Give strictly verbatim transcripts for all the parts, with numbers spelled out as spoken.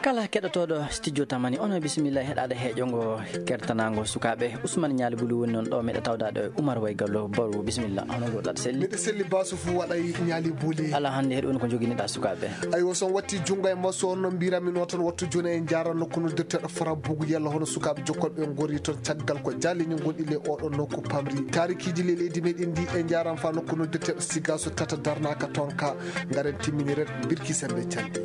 Kala keɗotooɗo studio Tamani, on bisimilla heɗaade heeƴo ngo kertanaango sukaaɓe. Ousmane Ñaali Buli woni noon ɗo, meɗa tawdaade e Oumar Way Gallo. Baru, bisimilla, hono ngoɗaɗa selli? Miɗa selli basu fu waɗay Ñaali Buli. Ala hannde heɗo woni ko joginiɗa sukaaɓe. Aywa, so on watti junngo e maso on no mbiramino tan wattu jooni e jaara nokku noddirteɗo Fara Bugu yalla hono sukaaɓe jokkolɓe ngori toon caggal ko jaalini gonɗi le oɗo nokku pamri. Taarikiiji le leydi meɗen ndi e jaaram fa nokku noddirteɗo Siga so tata darnaka toon ka ngaren timminiren birki sembe calɗi.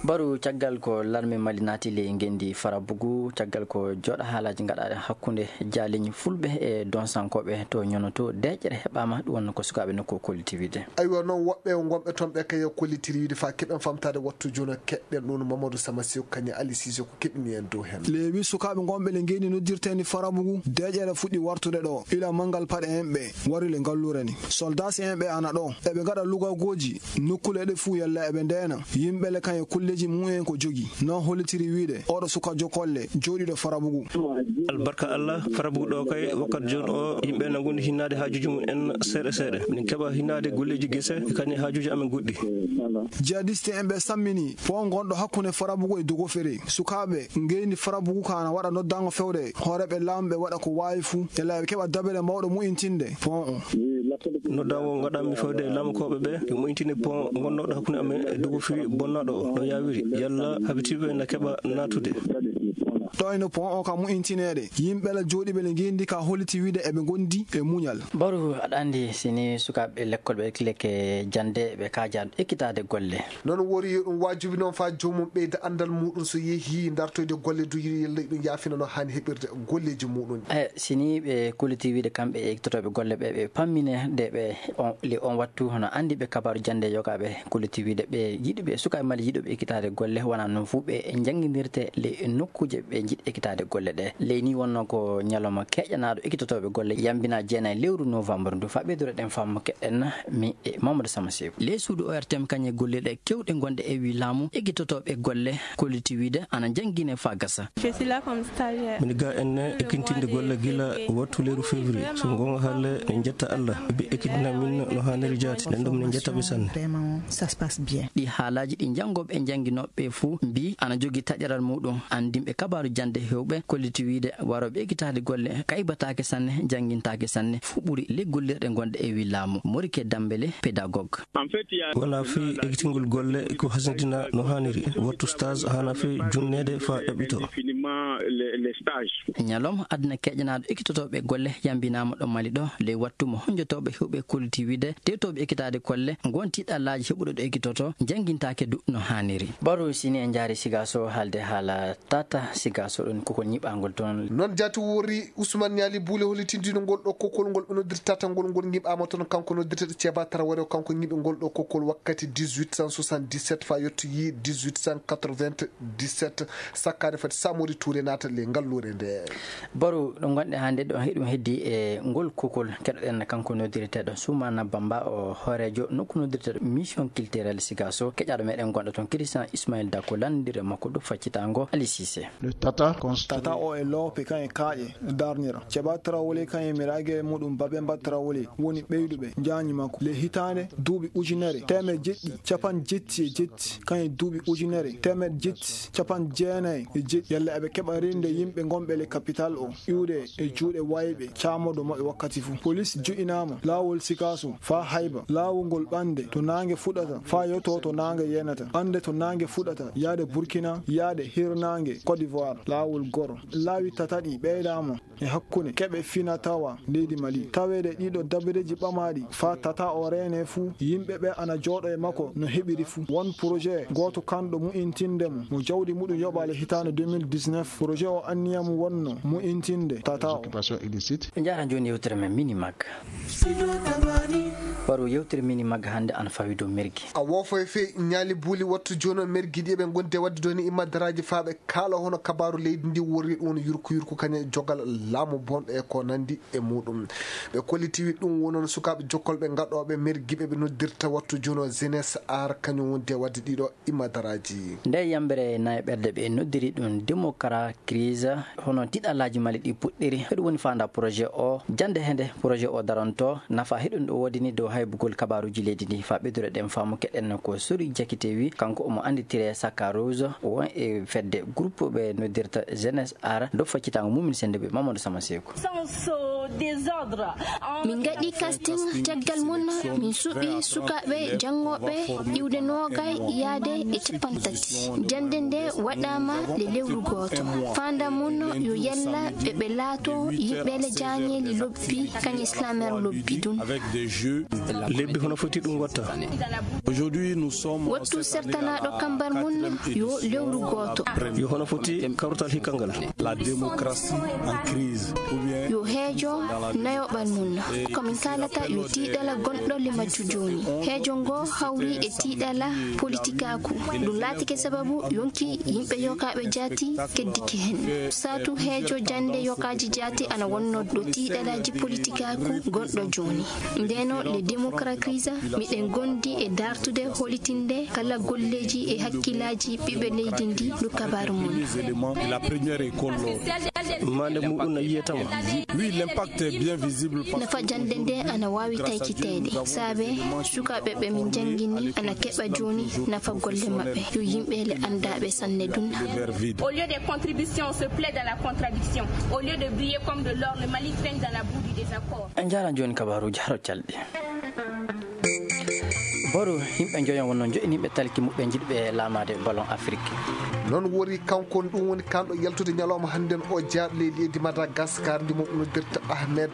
Baru caggal ko larme Mali naati ley ngenndi Farabugu, caggal ko jooɗa haalaaji ngaɗaaɗe hakkunde jaaliñ fulɓe e donsankooɓe to ñono to, deeƴere heɓaama, ɗum wonno ko sukaaɓe nokku o kolliti wiide. Aywa, noon woɓɓe wonɓe toon ɓe kay o kollitiri wiide fa keɓen famtaade wattu jono keɗɗen ɗum Mamadou Sama Sew Kañe Ali Sise ko keɓini en dow heen. Leewi sukaaɓe ngonɓe le ngenndi noddirteeni Farabugu, deeƴere fuɗɗi wartude ɗo, ila manngal paɗe en ɓe wari le ngalluure ni. Soldaasi en ɓe ana ɗo, eɓe ngaɗa lugagooji. Nokkuule ɗe fuu yalla eɓe ndeena. Yimɓe le kañe kulleeji mumen ko jogi. No hollitiri wiide, oɗo suka jokolle, jooɗiiɗo Farabugu. Albarka Allah, Farabugu ɗo kay, wakkati jooni o, yimɓe na ngondi hinnaade haajuuji mum en seeɗa seeɗa. Min keɓa hinnaade golleeji gese, e kañe haajuuji amen goɗɗi. Jihadiste en ɓe sammini, pont ngonɗo hakkunde Farabugu e Dogofere. Sukaaɓe ngeyndi Farabugu ka na waɗa noddaango fewde. Hooreeɓe laamu ɓe waɗa ko waawi fuu, yalla eɓe keɓa dabere mawɗo mu'intinde pont o. Noddaango ngaɗanmi fewde laamukooɓe ɓe, yo moƴƴintine pont ngonnooɗo hakkunde amen e Dogofiri bonnaaɗo o, no yaawiri, yalla habitiiɓe na keɓa naatude. Ɗo ino pont o ka moƴƴintineede, yimɓe la jooɗiiɓe le ngenndi ka holliti wiide eɓe ngondi e muñal. Baru, aɗa anndi, si ni sukaaɓe lekkol ɓe ekileke jannde, ɓe kaajaa ekkitaade golle. Noon wori yo ɗum waajibi noon faa joomum ɓeyda anndal muuɗum so yehii dartoyde golle du yalla ɗum yaafina no haani heɓirde golleeji muuɗum. E, si ni ɓe kolliti wiide kamɓe e ekkitotooɓe golle ɓe, ɓe pammine de ɓe on, le on wattu hono anndi ɓe kabaaru jannde yogaaɓe kolliti wiide ɓe yiɗuɓe, sukaaɓe Mali yiɗuɓe ekkitaade golle wonaa noon fuu ɓe njanngindirte le nokkuuje ɓe njiɗ ekkitaade golle ɗe. Ley ni wonno ko ñalawma keƴanaaɗo ekkitotooɓe golle yambina jeenayi lewru novembre ndu. Faa ɓeydureɗen faamu keɗen mi e Mamadou Sama Sew. Ley suudu O R T M kañe gollirɗe kewɗe ngonɗe e wi laamu ekkitotooɓe golle kolliti wiide ana njanngine faa gasa. Je suis là comme stagiaire. Mini ga en ekkintinde golle gila wattu lewru février. So goonga haalee, min njetta Allah. Ɓe ekkitina min no haaniri jaati. Nden ɗum min njetta ɓe sanne. Vraiment, ça se passe bien. Ɗi haalaaji ɗi janngooɓe e jannginooɓe fuu mbii ana jogii taƴaral muuɗum. Anndinɓe kabaaru jannde heewɓe kolliti wiide warooɓe ekkitaade golle kaybataake sanne, janngintaake sanne. Fuu ɓuri le gollirɗe ngonɗe e wi laamu. Morike Dambele, pédagogue. Wona fii ekkitingol golle ko hasindina no haaniri. Wattu stage hana fii junneede faa ƴaɓɓito. Ñalawma aduna keƴanaaɗo ekkitotooɓe golle yambinaama ɗo Mali ɗo, ley wattu mo honjotooɓe heewɓe kolliti wiide tewtooɓe ekkitaade golle ngonti ɗallaaji heɓuɗo ɗo ekkitoto, janngintaake du no haaniri. Baru, si ni en njaari Sigaso haalde haala Tata Sigaso ɗon kokol ñiɓaangol toon. Noon jaati wori Ousmane Ñaali Buule hollitindino ngol ɗo kokol ngol ɓe noddirta tata ngol, ngol ñiɓaama toon, kanko noddirteɗo Ceeba Tarawore o, kanko ñiɓi ngol ɗo kokol wakkati dix-huit cent soixante-dix-sept faa yettoyi dix-huit cent quatre-vingt-dix-sept, sakkaade fati Samori Touré naata le ngalluure nde. Baru, ɗo ngonɗe hannde ɗo, hiɗum heddi e ngol kokol keɗoɗen kanko noddirteɗo Soumana Bamba o hooreejo nokku noddirteɗo Mission Culturelle Sigaso, keƴaaɗo meɗen gonɗo toon Christian Ismail Dako, lanndire makko ɗo faccitaango Ali Cissé. Le Tata constitue Tata o e loope kan e kaaƴe darnira. Ceeba Tarawole kan e mirage muɗum Babemba Tarawole woni ɓeyduɓe jaañi makko. Le hitaande duuɓi ujunere teemeɗe jeɗɗi capanɗe jetti e jetti, kan e duuɓi ujunere teemeɗe jetti capanɗe jeenayi e jeɗɗi. Yalla eɓe keɓa rinde yimɓe ngonɓe le capital o, iwde e juuɗe wayɓe caamoɗo maɓɓe wakkati fuu. Polis ju'inaama laawol Sikaso faa Hayba, laawol ngol ɓande to naange fuɗata faa yotoo to naange yenata, ande to naange fuɗata yaade Burkina, yaade hirnaange Côte d'Ivoire, laawol goro. Laawi tataɗi ɓeydaama e hakkunde keɓe fina tawa leydi Mali. Taweede ɗiɗo dabareeji ɓamaaɗi faa Tata o reene fuu, yimɓe ɓe ana jooɗo e makko no heɓiri fuu. Won projet gooto kanɗo mu'intinde mo, mo jawdi muɗum yoɓaale hitaande deux mille dix-neuf. Projet o anniya mum wonno mu'intinde Tata o. Occupation illicite. Ɓe njaara jooni yewtere men Mini Mag. Waru yewtere Mini Mag hannde ana fawi dow mergi. A woofo e fee Ñaali Buuli wattu jooni o mergi ɗi eɓe ngondi e waɗde dooni imma daraaji faa ɓe kaala hono kabaaru leydi ndi worri ɗum woni yurku yurku kañe jogal laamu bonɗo e ko nanndi e muɗum. Ɓe kollitiwi ɗum wonon sukaaɓe jokkolɓe gaɗooɓe mergiɓe ɓe noddirta wattu jono jeunesse ar kañum wonde wadde ɗiɗo imadaraaji. Nde yambere nayi ɓerde ɓe noddiri ɗum démocratie crise, hono tiɗalaaji mali ɗi puɗɗiri. Heɗum woni faanda projet o, jannde hende projet o daranto, nafa heɗum ɗo woodini dow haybugol kabaruuji leydi ndi. Fa ɓeydore ɗen faamu keɗen ko Sori Jakite wi, kanko omo annditire Saka Rose, won e fedde groupe ɓe noddirta jeunesse ar, dow faccitango mumin sende ɓe Mamadou Sama Seeku. Min ngaɗi casting, caggal mum min suɓi sukaaɓe janngooɓe iwde noogay yaade e capanɗe tati. Jannde nde waɗaama le lewru gooto. Faanda mum yo yalla ɓe ɓe laato yimɓe le jaañeeli lobbi, kañe slamer lobbi dun. Lebbi hono foti ɗum watta? Wattu sertanaaɗo kambar mum yo lewru gooto. Yo hono foti kawrutal hikka ngal? La démocratie en crise, ou bien yo heejo nayoɓal mum. Ko min kaalata yo tiiɗala gonɗo le majju jooni. Heejo ngo hawri e tiiɗala politikaaku. Ɗum laatike sababu yonki yimɓe yokaaɓe jaati keddike hen. Saatu heejo jannde yokaaji jaati ana wonno ɗo tiiɗalaaji politikaaku gonɗo jooni. Ndeno le démocratie crise, miɗen gondi e dartude holitinde kala golleeji e hakkilaaji ɓiɓɓe leydi ndi no kabaru mum. Maande muɗum no yiyetama. Oui, l'impact est bien visible. Nafa jannde nde ana waawi taykiteede. Saabe sukaaɓe ɓe min janngini ana keɓa jooni nafa golle maɓɓe. Yo yimɓe le anndaaɓe sanne dun. Au lieu des contributions, on se plaît dans la contradiction. Au lieu de briller comme de l'or, le Mali traîne dans la boue du désaccord. En njaaraama jooni kabaruuji haro calɗi. Boro, yimɓe njoyon wonno joƴƴiniiɓe talki muɓɓe jiɗɓe laamaade ballon Afrique. Noon wori kanko, ɗum woni kanɗo yaltude ñalawma hannden o jeyaaɗo ley leydi Madagascar ndi mo noddirta Ahmed.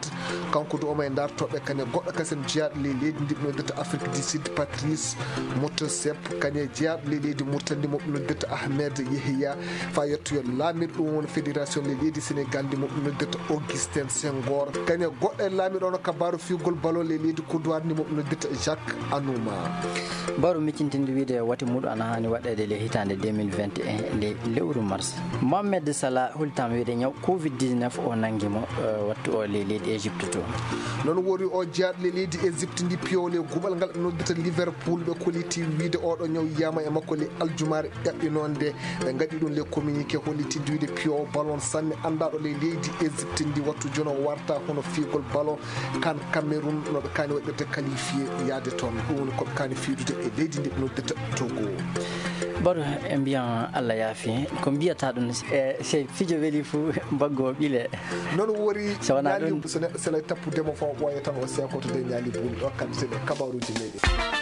Kanko du omo e dartooɓe kane goɗɗo kasen jeyaaɗo ley leydi ndi mo noddirta Afrique du Sud, Patrice Motsepe, kane jeyaaɗo ley leydi Mauritanie ndi mo noddirta Ahmed Yehya. Fa yettoyo laamiiɗo ɗum woni fédération ley leydi Sénégal ndi mo noddirta Augustin Senghor. Kane goɗɗo e laamiiɗo ono kabaaru fiyugol ballon ley leydi Côte d'Ivoire ndi mo noddirta Jacques Anouma. Baro miccintinde wiide wati muɗum ana haani waɗeede le hitaande deux mille vingt et un nde lewru mars. Mohamed Salah hultaama wiide ñaw covid dix-neuf o nanngi mo, eh, wattu o ley leydi Égypte to. Noon wori o jeyaaɗo ley leydi Égypte ndi piyowo ley guɓal ngal ɓe noddata Liverpool, ɓe kolliti wiide oɗo ñaw yiyama e makko ley aljumaare ƴaɓɓinoonde. Ɓe ngaɗi ɗum le communiqué hollitinde wiide piyowo ballon sanne anndaaɗo ley leydi Égypte ndi wattu jono warta hono fiyugol ballon kan Cameroun no ɓe kaani waɗirde qualifié yaade toon. Ɗum woni ko ɓe kaani fiidude e leydi ndi ɓe noddata Togo. Baro e mbiyan Allah yaafi. Ko mbiyata ɗum, e, sey fijo weli fuu, mbaggu o ɓile. Noon wori. So wonaa ɗum, so neɗɗo selay tappudemo fof, ɓooya tan o seekoto de ñaali buuli ɗo, kam sene kabaruuji meɗen.